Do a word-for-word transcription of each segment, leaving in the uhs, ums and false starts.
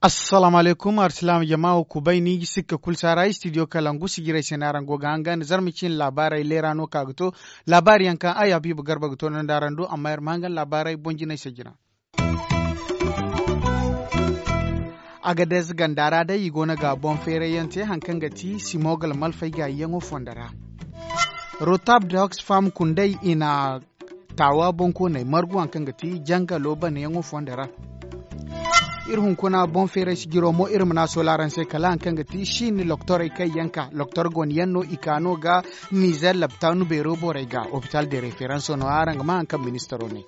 Assalaamu alaykum arsilaama jama wo kubay ni ga sikka kulu saara istidiyo kalangu sijirey se no araŋ go ga hangan zarma cine laabaarey leera no ka ga to. Laabaari yaŋ kaŋ ay habiiba garba ga to no nda araŋ do amma iri ma hangan laabaarey boŋ jinay se jina. Agadez ganda ra day i go no ga boŋ feeray yaŋ te hari kaŋ ga ti simogal malfay gaayi yaŋo fondo ra. Rotab da oxfam kundey i na taawa boŋkooney margu hari kaŋ ga ti jangalo banayaŋo fondo ra. Iri hunkuna boŋ feeray sijiro mo iri ma ne a soola araŋ se kala hari kaŋ ga ti siini loktorey kaŋ yaŋ ka loktor gone yaŋ no i ka no ga nizer labtaanu beero borey ga opital de referanso no araŋ ga ma hari kaŋ ministaro ne.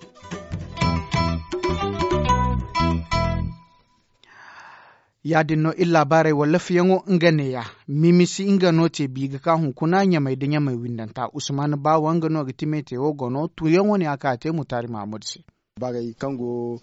Ya- din no iri laabaarey wallafiyaŋo nga neeya. Mimisi nga no te bi ga ka hunkuna ɲamey nda ɲamey windanta usman baawa nga no ga ti metewo gono tuuyaŋo ne a ka a te mutaari mahammadu se. Baarey kaŋ go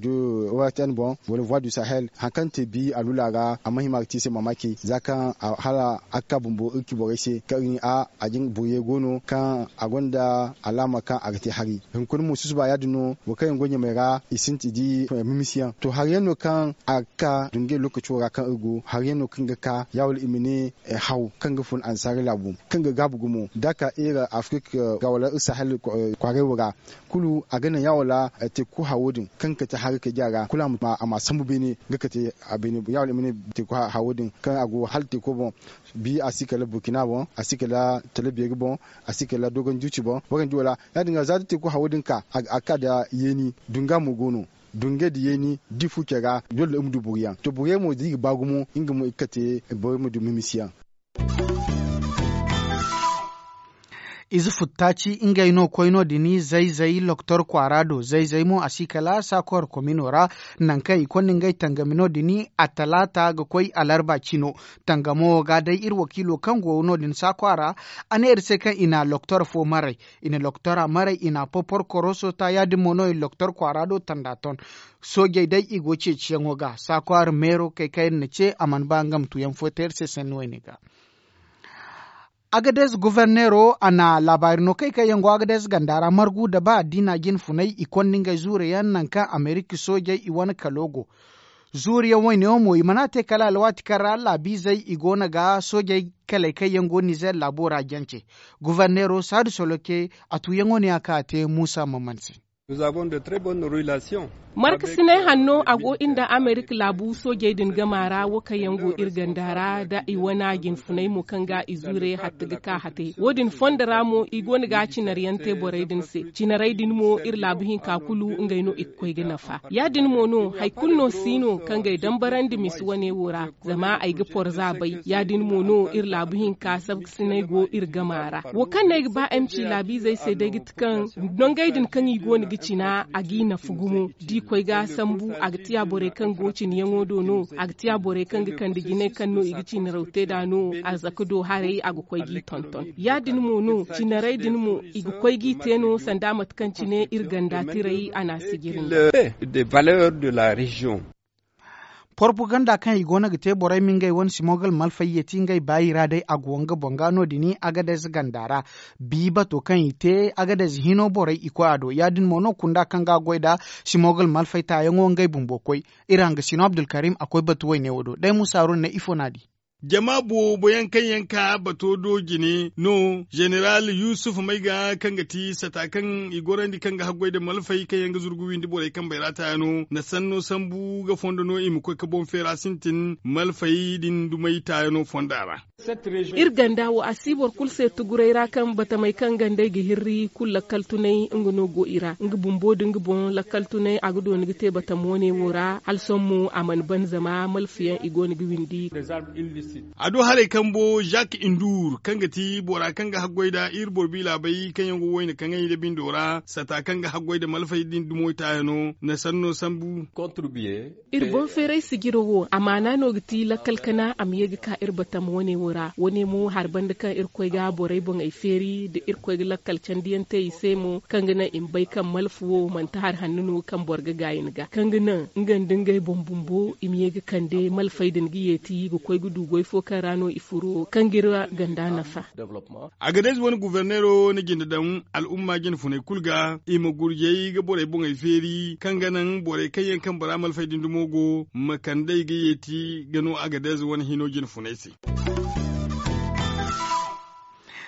wrtn boŋ wala voie du sahel hari kaŋ te bi alula ra a ma hima ga te i se mamaki za kaŋ hala a ga ka bumbo iri ci borey se kaŋ iri ne a a jin buuye go no kaŋ a gonda alaama kaŋ a ga te hari. Hunkuna mo susuba ya- din no boro kaŋ yaŋ go ɲamey ra i sintin di mimisiyaŋ to hari yaŋ no kaŋ a ga ka dungay lookaco ra kaŋ iri go hari yaŋ no kaŋ ga ka ya- wala i ma ne haw kaŋ ga fun annasaara laabu kaŋ ga gaabu gumo da a ka iri afirika ga wala iri sahel kwaaray wo ra kulu a ga naŋ ya- wala teeku hawo din kaŋ ga kate hari kaydiya ra kulu a ma sambu beene ga kate a beene ya- wala i ma ne teeku hawo din kaŋ a go hala teeko boŋ bi a si kala burkina boŋ a si kala tala beeri boŋ a si kala dogon juuci boŋ waranji wala ya- din ga za da teeku hawo din ka a ga ka nda yeeni dunga mo go no dungay nda yeeni da i fu care ra doole iri ma du boro yaŋ to borey mo da i ga ba gumo nga mo i ga kate borey ma du mimisiyaŋ. Ize futtaaci ngey no koy no- din zay-zay loktor kwaara do zay-zay mo a si kala saakor komino ra nangu kaŋ i konda ngey tangami no- din a talaata ga koy alarba cino. Tangamo wo ga day iri wakiilo kaŋ go no- din saakwa ra a ne iri se kaŋ i na loktor fo maray i na loktora maray i na a popor koroso ta ya- din mo no i na loktor kwaara do tanda ton. Soojey day i go ceeciyaŋo ga saakwa ra meero kay kaŋ iri na ce a mana ba nga ma tuuyaŋ fo te iri se sanni wayne ga. Agadez goforneero a na laabaari no kay kaŋ yaŋ go agadez ganda ra margu nda ba addiina jinfunay i konda ngey zuure yaŋ nangu kaŋ amerika soojey i wane kalo go. Zuure yaŋ wayne wo mo i mana te kala alwaati kaŋ ra laabiizey i go no ga soojey kaley kaŋ yaŋ go nizer laabo ra jance. Goforneero saadu soloke a tuuyaŋo ne a kaŋ a te muusa maman se. Markasinay hanno a go iri nda amerika laabu soojey din gama ra wo kaŋ yaŋ go iri ganda ra nda i wane jinfunay mo kaŋ ga i zuure hatta ga ka hate wo- din fondo ra mo i go no ga cinaryaŋ te borey din se cinarey din mo iri laabu hinka kulu ngey no i ga koy ga nafa ya- din mo no hari kulu no si no kaŋ ga ay dambarandi misi wane wo ra zama ay ga porza bay ya- din mo no iri laabu hinka sabkasinay go iri gama ra wo kaŋ no ay ga ba ay ma ci laabiizey se day ga ti kaŋ nongey din kaŋ i go no ga cina a g'i nafa gumo da i koy ga sambu a ga tiya borey kaŋ go cinayaŋo do no a ga tiya borey kaŋ ga kande jinay kaŋ no i ga cinaraw te nd'a no a zaka do haray a ga koy g'i tonton ya- din mo no cinarey din mo i ga koy g'i te no sanda mate kaŋ cine iri ganda tiray a na a sijiri nda. Porpoganda kaŋ i go no ga te borey ma ngey wane simogal malfay yeeti ngey baayi ra day a go nga boŋ ga no- din agadez ganda ra. Bi bato kaŋ i te agadez hino borey i koy a do ya- din mo no kunda kaŋ ga a goy nda simogal malfay taayaŋo ngey bumbo koy. Iri hanga sino abdulkarim a koy batu wayne wo do day musa haruna ne ifo no a di. Jama boobo yaŋ kaŋ yaŋ ka bato do jine no zeneral yusuf may ga kaŋ ga ti sata kaŋ i gorandi kaŋ ga haggoy nda malfay kaŋ yaŋ ga zurgu windi borey kambey ra taayaŋo na sanno sambu ga fondo no i ma koy ga boŋ feera sintin malfay din dumey taayaŋo fonda ra. Iri ganda wo a si boro kulu se tuguray ra kaŋ batamey kaŋ gandey ga hirri kulu lakkal tunay nga no go i ra nga bumbo nda nga boŋ lakkal tunay a ga dooni ga te batamo ne wo ra hala sohõ mo a mana ban zama malfiyaŋ i go no ga windi. A do haray kambo zak indur kaŋ ga ti bora kaŋ ga haggoy nda iri boro biila bay kaŋ yaŋ go wayna kaŋay nda bindo ra sata kaŋ ga haggoy nda malfay din dumo taayaŋo na sanno sambu. Iri boŋ feeray sijiro wo amaana no ga ti lakkal kana a ma ye ga ka iri batama wane wo ra wane mo hari banda kaŋ iri koy ga borey boŋey feeri nda iri koy ga lakkal candiyaŋ te i se mo kaŋ ga naŋ i ma bay kaŋ malfa wo manti hari hanno no kaŋ boro ga gaayi ni ga kaŋ ga naŋ nga nda ngey boŋ bumbo i ma ye ga kande malfey din ga yeeti ga koy ga du goy. Ifo kaŋ ra no i furo kaŋ ga iri ganda nafa. Agades wane guverneero na jinde daŋ al'umma jine funey kulu ga i ma gurjey ga borey boŋey feeri kaŋ ga naŋ borey kaŋ yaŋ kaŋ bora malfay din dumo go ma kand'ey ga yeeti ga no agades wane hino jine funey se.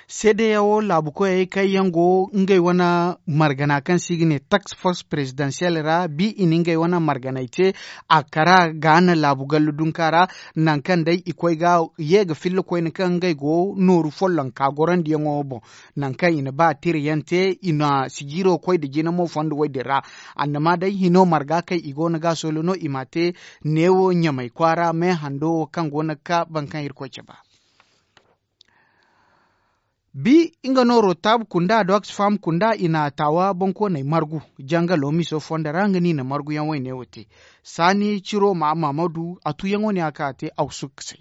Seedeyawo laabu koyey kaŋ yaŋ go ngey wane margana kaŋ se i ga ne tax force prezidansiyel ra bi i na ngey wane marganey te a kara ga na laabu gallu dunka ra. Nangu kaŋ day i koy ga ye ga filla koyne kaŋ ngey go nooru follonka gorandiyaŋo boŋ. Nangu kaŋ i na ba tira yaŋ te i na sijiiro koy nda jina mo fondo woy din ra. Annama day hino marga kaŋ i go no ga soolo no i ma te neewo ɲamay kwaara me hando wo kaŋ go no ga ka boro kaŋ irkoy cabe. Bi nga no rotabu kunda da oxfam kunda i na taawa bonkooney margu jangalo miso fondo ra nga no i na marguyaŋ wayne wo te. Saani ciro ma mamadu a tuyaŋo ne a ka a te a ga sukkasay.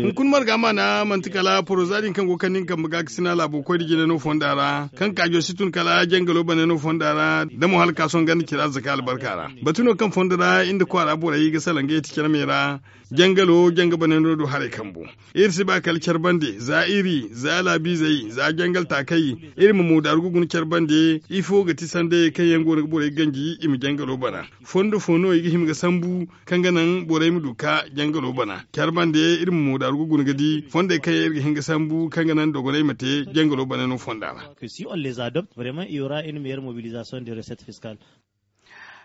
Hunkuna marga maana manti kala poroza din kaŋ go ga kande nga kambe ga ga sina laabo koy da jine no fonda ra kaŋ kaajo si tun kala jangalo bane no fonda ra da mo hala ka sohõ ganda cira zaka albarka ra. Batu no kaŋ fondo ra iri nda kwaara borey ga salaŋ ga yeti care me ra. Jangalo janga bane no du haray kambu. Iri si ba kala care bande za iri za laabiizey za jangal taakey iri ma moodaaru ga guna care bande. Ifo ga ti sandayey kaŋ yaŋ go no ga borey ganji i ma jangalo bana? Fondo fo no i ga hima ga sambu kaŋ ga naŋ borey ma du ga ka jangalo bana care bande iri ma moodaaru ga guna ga di fondey kaŋ yaŋ iri ga hin ga sambu kaŋ ga naŋ dogoney ma te jangalo bana no fonda ra.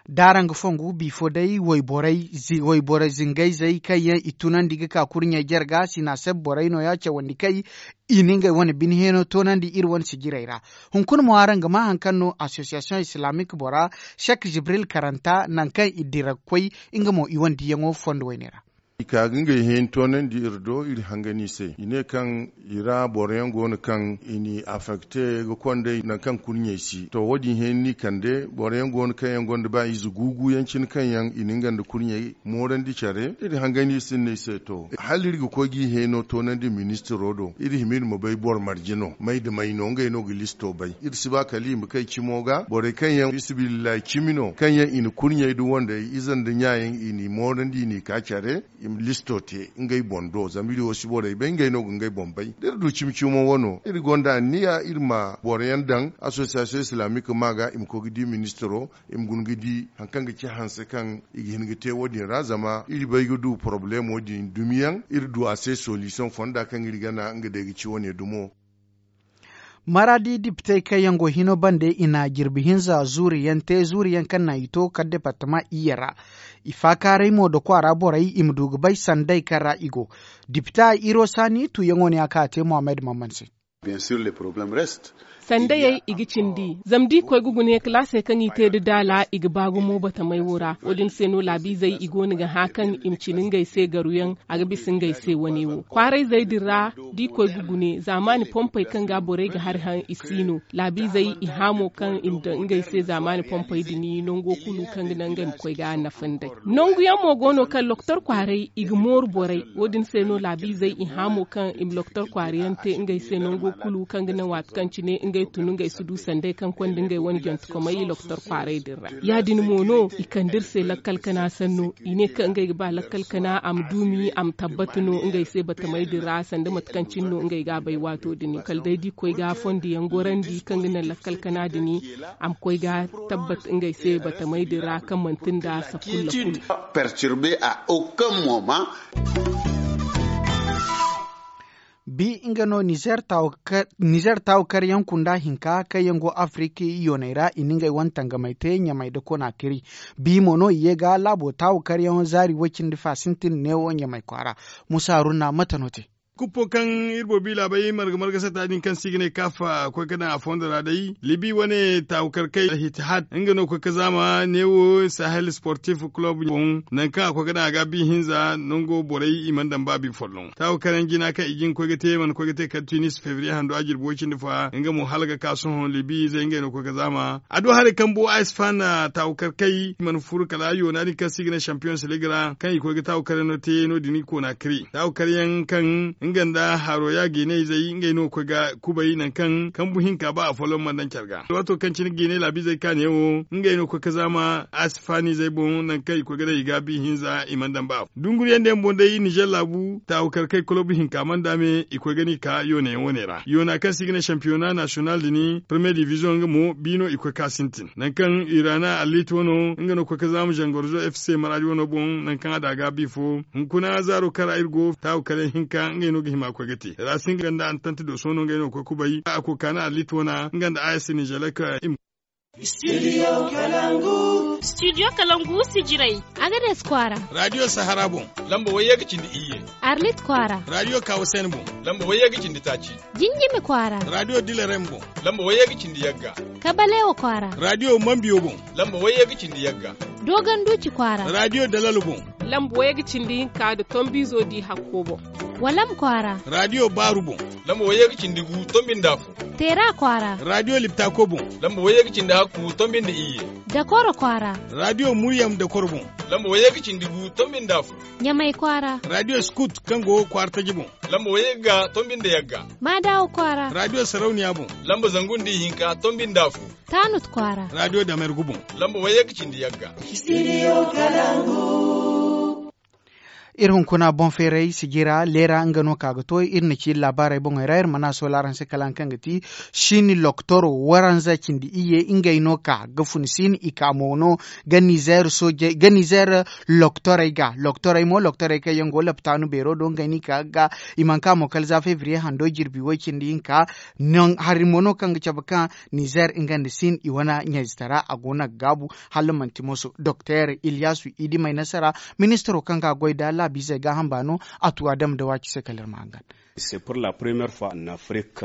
Da araŋ ga fongu bifo day wayborey zingayzey kaŋ yaŋ i tunandi ga ka kurɲey jarga sina seb borey no- ya cawandi kay. I na ngey wane bine heeno toonandi iri wane sijirey ra. Hunkuna mo araŋ ga ma hari kaŋ no asosiyasiyoŋ islaamik bora shek jibril karanta nangu kaŋ i dira ga koy nga mo i wane diyaŋo fondo wayne ra. I ka ga ngey heeni toonandi iri do iri hangan i se i ne kaŋ i ra boro yaŋ go no kaŋ i n'i afekte ga konday nangu kaŋ kurɲey si to wo- din heeni n'i kande boro yaŋ go no kaŋ yaŋ gonda ba ize guugu yaŋ cine kaŋ yaŋ i na nga nda kurɲey moorandi care iri hangan iri sinda i se to hala iri ga koy ga i heeno toonandi ministiro do iri hima iri ma bay boro marje no may nda may no ngey no ga listo bay iri si ba kala i ma kay cimo ga borey kaŋ yaŋ fiisabilillahi cimi no kaŋ yaŋ i na kurɲey nda wandey ize nda ɲa yaŋ i n'i moorandi i n'i ka care i ma listo te ngey boŋ do zama iri wo si borey bay ngey no ga ngey boŋ bay da iri du cimi cimo wano iri gonda anniya iri ma boro yaŋ daŋ asosiyasiyoŋ islaamik ma ga i ma koy ga di ministiro i ma guna ga di hari kaŋ ga ci hanse kaŋ i ga hin ga te wo- din ra zama iri bay ga du porobalemo din dumi yaŋ iri du a se solisiyoŋ fonda kaŋ iri gana nga day ga ci wane dumo. Maradi dipitey kaŋ yaŋ go hino bande i na jirbi hinza zuuri yaŋ te zuuri yaŋ kaŋ naŋ i to kala departama iyye ra. I faakaaray mo da kwaara borey i ma du ga bay sanday kaŋ ra i go. Dipita iro saani tuuyaŋo ne a ka a te mohammed mamman se. Sandayey i ga cindi zama da i koy ga guna yaŋ kalaasey kaŋ i te nda daala i ga ba gumo batamey wo ra wo- din se no laabiizey i go no ga hã kaŋ i ma cina ngey se garuyaŋ. A ga bisa ngey se wane wo kwaarayzey din ra da i koy ga gune zaamaani pompey kaŋ ga borey ga hari haŋ i si no laabiizey i hã mo kaŋ i ma daŋ ngey se zaamaani pompey din nango kulu kaŋ ga naŋ ngey ma koy ga nafa nd'ey. Nangu yaŋ mo go no kaŋ lokotor kwaaray i ga mooru borey wo- din se no laabiizey i hã mo kaŋ i ma lokotor kwaara yaŋ te ngey se nango kulu kaŋ ga naŋ waati kaŋ cine ngey tun ngey si du sanday kaŋ konda ngey wane jantekomey i lokotor kwaaray din ra. Ya- din mo no i kande iri se lakkal kana sanno i ne kaŋ ngey ga ba lakkal kana a ma duumi a ma tabbata no ngey se batamey din ra sanda mate kaŋ cine no ngey ga a bay waato din kala day da i koy ga fondo yaŋ gorandi kaŋ ga naŋ lakkal kana din a ma koy ga tabbat ngey se batamey din ra kaŋ manti nda sakulla kulu. Bi nga no nizer taawu karyaŋ kunda hinka kaŋ yaŋ go afiriki yooney ra i na ngey wane tangamey te ɲamey nda konaakiri. Bi mo no i ye ga laabo taawu karyaŋo zaari woy cindi fa sintin neewo ɲamey kwaara. Musa haruna mate no te? Kuppo kaŋ iri boro bi laabey marga marga sata din kaŋ se i ga ne kaf a koy ga daŋ a fondo ra day libi wane taawukarkey alhitihad nga no koy ga zaama neewo sahel sportif kulob boŋ. Nangu kaŋ a koy ga daŋ a ga bi hinza nango borey i mana daŋ ba bi folloŋ taawukaryaŋ jina kaŋ i ga hin ga koy ga te mana koy ga te kala tunis febriye hando a jirbi way cindi fa nga mo hala ga ka sohõ libi izey ngey no koy ga zaama. A du haray kambo a si faana taawukarkey i mana furu kala yoona din kaŋ se i ga ne champions league ra kaŋ i koy ga taawukaryaŋ no te no- din i koona kari taawukaryaŋ kaŋ nga nda haro ya geeney izey ngey no ga koy ga kubay nangu kaŋ kambu hinka ba a folloŋ mana daŋ care ga. Waato kaŋ cine geeney laabiizey kaane wo ngey no ga koy ga zaama a si faani izey boŋ nangu kaŋ i koy ga daŋ i ga bi hinza i mana daŋ ba. Dunguriyaŋ din boŋ day ninzeer laabu taawu kar kay kolob hinka mana daame i koy ga ni ka yoona yaŋ wane ra yoona kaŋ se i ga ne sampiyona nasiyonal din parmiye diviziyoŋ nga mo bi no i koy ga sintin nangu kaŋ irana alliit wano nga no ga koy ga zaama zangorzo f c maraadi wano boŋ nangu kaŋ a daaga bi fo. Hunkuna zaaro kaŋ ra iri go taawu kar yaŋ hinka ngey no ga hima ga koy ga te raasin nga nda antant dooso no ngey no ga koy ga kubay a koy ga kaanu alliit wana nga nda a s ninzeer laka. Studio kalangu sijiray, agades kwaara. Raadiyo sahara boŋ, lamba wayye ga cindi iyye. Arlit kwaara, raadiyo kawasen boŋ, lamba wayye ga cindi taaci. Jinjimi kwaara, raadiyo dilarem boŋ, lamba wayye ga cindi yagga. Kabalewa kwaara, raadiyo mambiyo boŋ, lamba wayye ga cindi yagga. Dogon duuci kwaara, raadiyo dalalo boŋ, lamba wayye ga cindi hinka nda tombiizo di hakko boŋ. Walam kwaara, raadiyo baaru boŋ, lamba wayye ga cindi gu tombi nda afo. Teera kwaara, raadiyo liptako boŋ, lamba wayye ga cindi hakku tombi nda iyye. Dakoro kwaara, raadiyo muryam dakoro boŋ, lamba wayye ga cindi gu tombi nda afo. Ɲamay kwaara, raadiyo skut kaŋ go kwaara taji boŋ, lamba wayye ga tombi nda yagga. Maadawa kwaara, raadiyo sarauniya boŋ, lamba zangu nda ihinka tombi nda afo. Taanut kwaara, raadiyo damergu boŋ, lamba wayye ga cindi yagga. Studio kalangu. Iri hunkuna boŋ feeray sijira leera nga no ka ga to iri na ci iri laabaarey boŋey ra iri mana soola araŋ se kala haŋ kaŋ ga ti siini loktoro waranza cindi iyye ngey no ka ga fun siin i ka mo no ga nizeer soojey ga nizeer loktorey ga loktorey mo loktorey kaŋ yaŋ go laptaanu beero do ngey no i ka ga i mana ka mo kala za febriye hando jirbi way cindi hinka. Hari mo no kaŋ ga cabe kaŋ nizeer nga nda siin i wane ɲayzitara a go no ga gaabu. Hala manti moso doktor ilyasu idi may nasara ministaro kaŋ ga goy da laabiizey gaaham baano a tu a dama da waaci se kala iri ma hangan. C'est pour la première fois en Afrique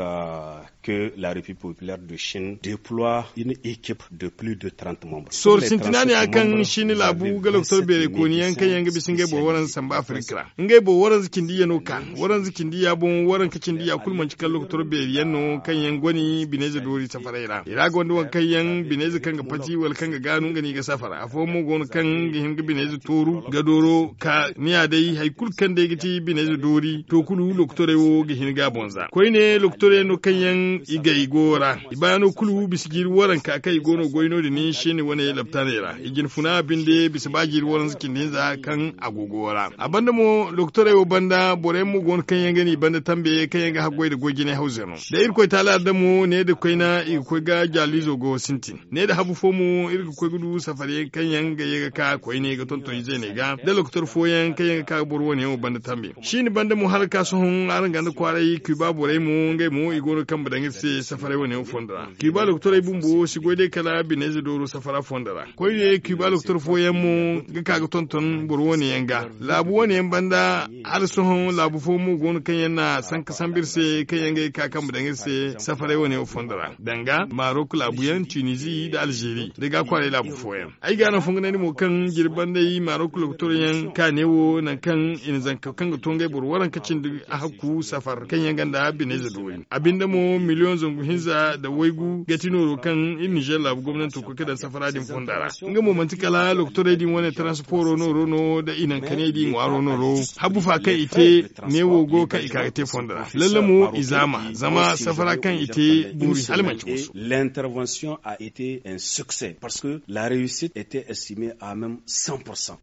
que la République populaire de Chine déploie une équipe de plus de trente membres. Sooru sintina ne ya kaŋ siini laabu ga loktor beerey kooni yaŋ kaŋ yaŋ ga bisa ngey boro waranza samba afirika ra ngey boro waranza cindi iyye no ka waranza cindi iyya boŋ waranka cindi iyya kulu manci kala loktor beeri yaŋ no kaŋ yaŋ goni bineyze doori safaray ra i ra gonda waŋ kaŋ yaŋ bineyze kaŋ ga pati wala kaŋ ga gaanu nga no i ga safara afooyaŋ mo go no kaŋ ga hin ga bineyze tooru ga dooro ka ni ya day hari kulu kaŋ day ga ti bineyze doori to kulu lokotorey wo ga hin ga a boŋ za koyne lokotorey no kaŋ yaŋ i gay go ra i baano kulu bisa jiiri waranka kaŋ i go no goy no- din siini wane laptaaney ra i jinfuna binde bisa ba jiiri waranza cindi hinza kaŋ a go go ra a banda mo lokotorey wo banda boro yaŋ mo go no kaŋ yaŋ ga ni banda tambe kaŋ yaŋ ga haggoy nda goy jinay hawzey no da irkoy taala adda mo ne nda koyna i ga koy ga jaaliizo go sintin ne nda habu fo mo iri ga koy ga du safariyaŋ kaŋ yaŋ ga ye ga ka koyne ga tonton izeeney ga nda lokotor fooyaŋ kaŋ yaŋ ga ka ga boro wane yaŋ wo banda tambe siini banda mo hala ga ka sohõ araŋ ganda kwaaray kiba borey mo ngey mo i go no ga kambe daŋ iri se safaray wane yaŋ fondo ra kiba lokotorey bumbo si goy day kala bineyze dooro safara fondo ra koyne kiba lokotor fooyaŋ mo ga ka ga tonton boro wane yaŋ ga laabu wane yaŋ banda hala sohõ laabu fo mo go no kaŋ yaŋ na sanka sambu iri se kaŋ yaŋ ga ay ka kambe daŋ iri se safaray wane wo fondo ra danga marok laabu yaŋ tunizi nda alzeeri da ga kwaaray laabu fooyaŋ ay ga no fonganandi mo kaŋ jirbi banda ay marok lokotor yaŋ kaane wo nangu kaŋ i na zanka kaŋ ga to ngey boro waranka cindi a hakku safar kaŋ yaŋ ganda bineyze doori a binde mo miliyoŋ zangu hinza nda waygu ga ti nooro kaŋ iri nizer laabu gomnanto koy ga daŋ safara din fonda ra nga mo manti kala lokotorey din wane transporo nooro no nda i naŋ kaney din ŋwaaro nooro habu fa kaŋ i te neewo go kaŋ i ka ga te fondo ra lalle mo i zaama zama safara kaŋ i te boori hala manci wasu. L'intervention a été un succès parce que la réussite était estimée à même cent pour cent.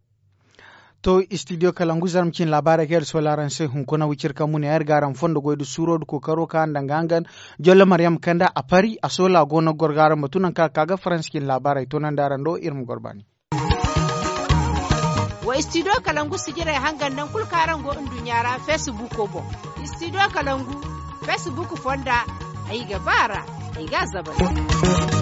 To studio kalangu zarma cin laabaarey kaŋ iri sola araŋ se hunkuna wiciri kaŋ mune iri ga araŋ fondo goy da suuro da kookaro kaŋ araŋ daŋ ga hangan jolle maryam kanda a pari a sola go no ga goro ga araŋ batu nangu kaŋ a ka ga faransa cin laabaarey toonandi araŋ do iri ma goro baani. Wa studio kalangu sijirey hangan nangu kulu kaŋ araŋ go nduɲɲa ra facebook boŋ. Studio kalangu facebook fonda ay ga ba a ra ay ga a zabar.